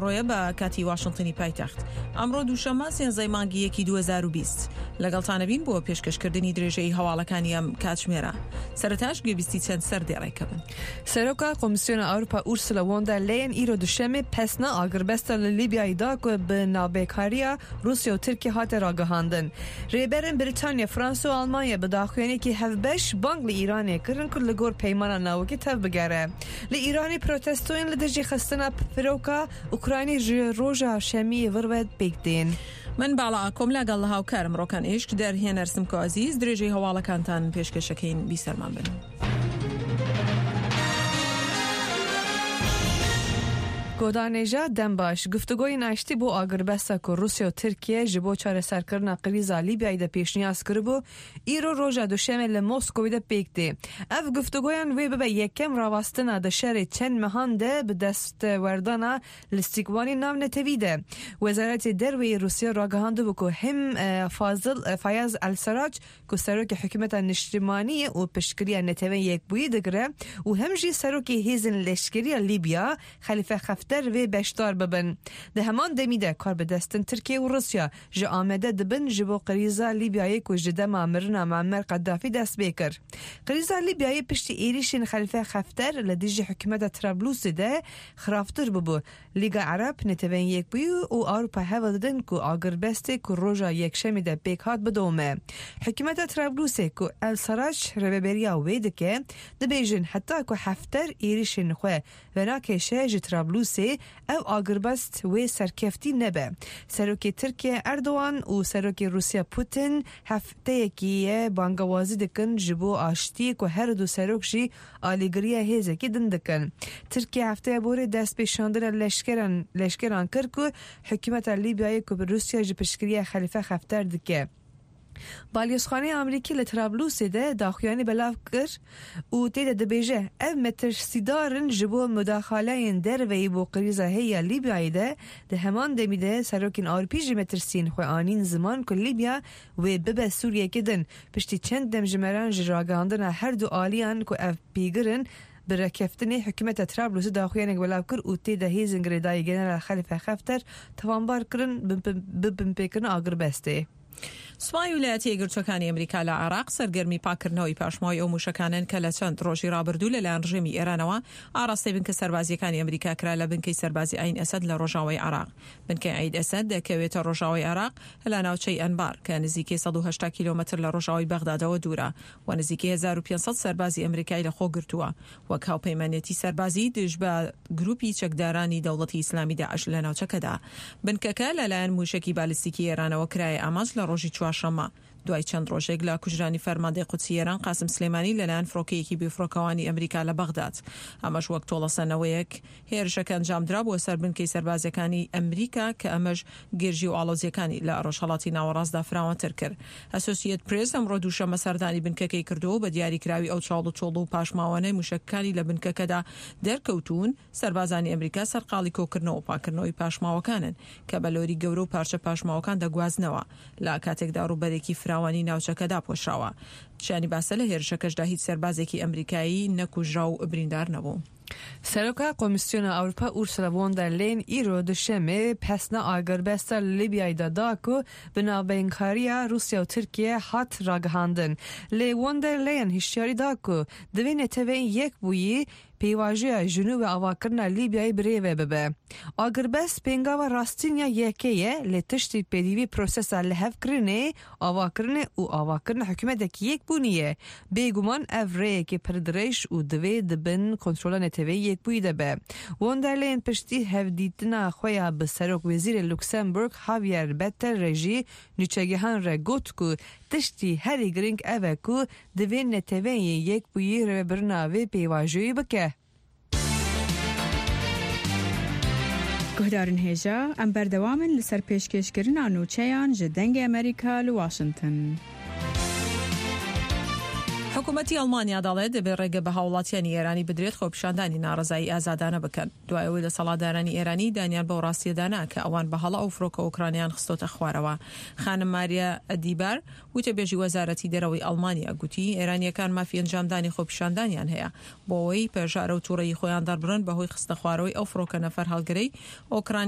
ڕۆیە بە کاتی واشنتنی پایتەخت. ئەمڕۆ دووشەممە سێنزەی مانگی یەکی 2020. لەگەڵتانەبین بۆ پێشکەشکردنی درێژەی هەواڵەکانی ئەم کاتژمێرە. سەرەتاش گوێبیستی چەند سەردێڕێکە بن. Seroka Komîsyona Ewropa Ursula von der Leyen îro Duşemê pesna agirbesta li Lîbyayê da ku bi navbêkariya Rûsya û Tirkiye hate ragihandin. Rêberên Brîtanya, Fransa û Almanya bi daxuyaniyekî hevbeş bang li Îranê kirin ku li gor peymana navokî tevbigere. Li Îranê protestoyên li dijî xistina firoka Ukraynî ji roja şemiyê vir ve pêk tên. من باڵا ئاکۆم لەگەڵ هاوکارم ڕۆکان ئیشک دەرهێنەر سمکۆ عەزیز درێژەی هەواڵەکانتان پێشکەشەکەین بیسەرمان بن. Godanêja Dembaş, Guftûgoyên aştî bo agirbesta ku Rûsya û Tirkiye ji bo çareserkirina krîza Lîbyayê de pêşniyaz kiribû, îro roja duşemê li Moskowê de pêk tê. Ev guftûgoyan wê bibe yekem rawestina di şerê çend mehan de bi destwerdana li sîkwanê navnetewî de. Wezaretê Derweyê Rûsya ragihandibû ku him Fazil Fayaz El Serac ku serokê hikûmeta niştimanî ye û piştgiriya Neteweyên Yekbûyî digire û hem jî serokê hêzên leşkeriya Lîbya Xelîfe Xefter vê beşdar bibin. Di heman demî de kar bi destin Tirkiye û Rûsya ji amede dibin ji bo krîza Lîbyayê ku ji dema mirina Muammer Qeddafî dest pê kir. Krîza Lîbyayê piştî êrîşên Xelîfe Xefter li dijî hikûmeta Trablusê de xirabtir bûbû. Lîga Ereb, Neteweyên Yekbûyî û Ewropa hewl didin ku agirbestê ku roja Yekşemê de pêk hat bidome. Hikûmeta Trablusê ku El Sarac rêveberiya wê dike, dibêjin heta ku Hefter êrîşên xwe venakêşe ji Trablusê ew agirbest wê serkeftî nebe. Serokê Tirkiye Erdogan û Serokê Rûsya Putin hefteyekî ye bangawazî dikin ji bo aştiyê ku her du serok jî alîgiriya hêzekî din dikin. Tirkiye hefteya borê dest pê şandina leşkeran leşkeran kir ku hikûmeta Lîbyayê ku bi Rûsya ji piştgiriya Xelîfe Xefter dike. Balyozxaneya Amerîkî li Trablusê de daxuyanî belav kir û tê de dibêje, Ev metirsîdar in ji bo mudaxaleyên derveyî bo krîza heyî ya Lîbyayê de, di heman demî de serokên Ewropî jî metirsiyên xwe anîn ziman ku Lîbya wê bibe Sûriyeke din. Piştî çend demjimeran ji ragihandina her du aliyan ku ev pêgir in, bi rekeftinê hikûmeta Trablusê daxuyanek belav kir û tê de hêzên girêdayî General Xelîfe Xefter tawanbar kirin bi binpêkirina agirbestê. سوپای ویلایەتە یەکگرتووەکانی ئەمریکا لە عێراق سەرگەرمی پاککردنەوەی پاشماوەی ئەو مووشەکانەن کە لە چەند ڕۆژی ڕابردوو لەلایەن ڕژێمی ئێرانەوە ئاڕاستەی بنکە سەربازییەکانی ئەمریکا کرا لە بنکەی سەربازی عەین ئەسەد لە ڕۆژاوای عێراق. بنکەی عەین ئەسەد دەکەوێتە ڕۆژاوای عێراق لە ناوچەی ئەنبار کە نزیکەی 180 کیلۆمەتر لە ڕۆژاوای بەغدادەوە دوورە و نزیکەی 1500 سەربازی ئەمریکای لەخۆ گرتووە وەک هاوپەیمانێتی سەربازی دژ بە گروپی چەکدارانی دەوڵەتی ئیسلامی داعش لە ناوچەکەدا. بنکەکە لەلایەن مووشەکی بالیستیکی ئێرانەوە کرایە ئامانج لە ڕۆژی چوارشەممە دوای چەند ڕۆژێک لە کوژرانی فەرماندەی قودسی ئێران قاسم سلێمانی لەلایەن فڕۆکەیەکی بێفڕۆکەوانی ئەمریکا لە بەغداد. ئەمەش وەک تۆڵەسەنەوەیەک هێرشەکە ئەنجامدرا بۆ سەر بنکەی سەربازیەکانی ئەمریکا کە ئەمەش گرژی و ئاڵۆزیەکانی لە ڕۆژهەڵاتی ناوەڕاستدا فراوانتر کرد. ئەسۆسیەت پرێس ئەمڕۆ دووشەممە سەردانی بنکەکەی کردووە و بە دیاریکراوی ئەو چاڵ و چۆڵ و پاشماوانەی موشەکەکانی لە بنکەکەدا دەرکەوتوون، سەربازانی ئەمریکا سەرقاڵی کۆکردنەوە و پاککردنەوەی پاشماوەکانن کە بە لۆری گەورە و پارچە پاشماوەکان دەگوازنەوە لە کاتێکدا ڕووبەرێکی فراوانی ناوچەکە داپۆشراوە. شایانی باسە لە هێرشەکەشدا هیچ سەربازێکی ئەمریکایی نەکوژرا و بریندار نەبوو. Seroka Komîsyona Ewropa Ursula von der Leyen îro Duşemê pesna agirbesta li Lîbyayê de da ku bi navbeynkariya Rûsya û Tirkiye hat ragihandin. Lê von der Leyen hişyarî da ku divê neteweyên yekbûyî pêvajoya ji nû ve avakirina Lîbyayê bi rê ve bibe. Agirbest pêngava rastîn ya yekê ye lê tiştî pêdivî prosesa lihevkirinê, avakirinê û avakirina hikûmetekî yekbûnî ye. Bêguman ev rêyekê pir dirêj û divê di bin kontrola neteweyî yekbûyî de be. Von der Leyen piştî hevdîtina xwe ya bi Serokwezîrê Luksemburg Javier Bettel re jî nûçegihan re got ku tiştî herî girîng ev e ku divê neteweyên yekbûyî rêvebirina vê pêvajoyê bike. Guhdarên hêja, em berdewam in li ser pêşkêşkirina nûçeyan ji Dengê Amerîka li Washington. حکومەتی ئەڵمانیا دەڵێت دەبێت ڕێگە بە هاوڵاتیانی ئێرانی بدرێت خۆپیشاندانی ناڕەزایی ئازادانە بکەن، دوای ئەوەی دەسەڵاتدارانی ئێرانی دانیان بەو ڕاستییەدا نا کە ئەوان بە هەڵە ئەو فرۆکە ئۆکرانیان خستۆتە خوارەوە. خانم ماریا ئەدیبار، وتەبێژی وەزارەتی دەرەوەی ئەڵمانیا گوتی، ئێرانییەکان مافی ئەنجامدانی خۆپیشاندانیان هەیە بۆ ئەوەی پەژارە و توڕەیی خۆیان دەربڕن بەهۆی خستنەخوارەوەی ئەو فڕۆکە نەفەرهەڵگرەی ئۆکرانیا.